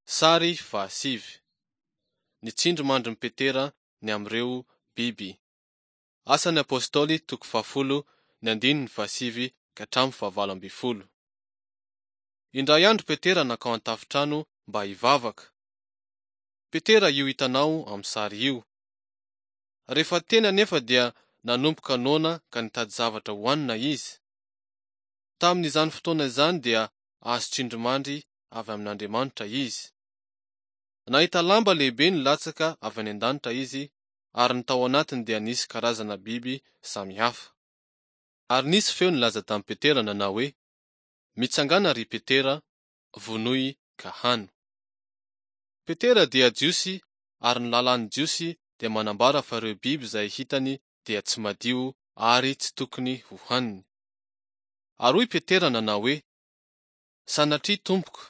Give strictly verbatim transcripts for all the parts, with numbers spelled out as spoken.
Sary fahasivy. Ny tsindrimandrin'i Petera ny amin'ireo biby. Asan'ny Apostoly toko fahafolo ny andininy fahasivy ka hatramin'ny fahavalo ambin'ny folo. Indray andro Petera nankao an-tafontrano mba hivavaka. Petera io hitanao amin'ny sary io. Rehefa teny anefa dia nanomboka noana ka nitady zavatra hohanina izy. Tamin'izany fotoana izany dia azo tsindrimandry avy amin'Andriamanitra izy. Nahita lamba lehibe nilatsaka avy any an-danitra izy ary ny tao anatiny dia nisy karazana biby samihafa. Ary nisy feo nilaza tamin'i Petera nanao hoe: Mitsangàna ry Petera, vonoy ka hano. Petera dia Jiosy ary ny lalàn'ny Jiosy dia manambara fa ireo biby izay hitany dia tsy madio ary tsy tokony hohaniny. Ary hoy Petera nanao hoe: Sanatria tompoko,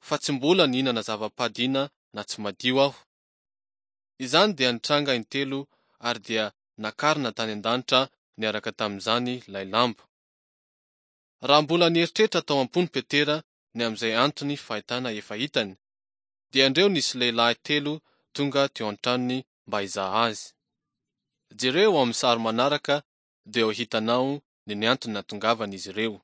fa tsy mbola nihinana zava-padiana na tsy madio aho. Izany dia nitranga intelo ary dia nakarina tany an-danitra niaraka tamin'izany ilay lamba. Raha mbola nieritreritra tao am-pony Petera ny amin'izay antony fahitana efa hitany, dia indreo nisy lehilahy telo tonga teo an-tranony mba hizaha azy. Jereo ao amin'ny sary manaraka dia ho hitanao ny ny antony nahatongavan'izy ireo.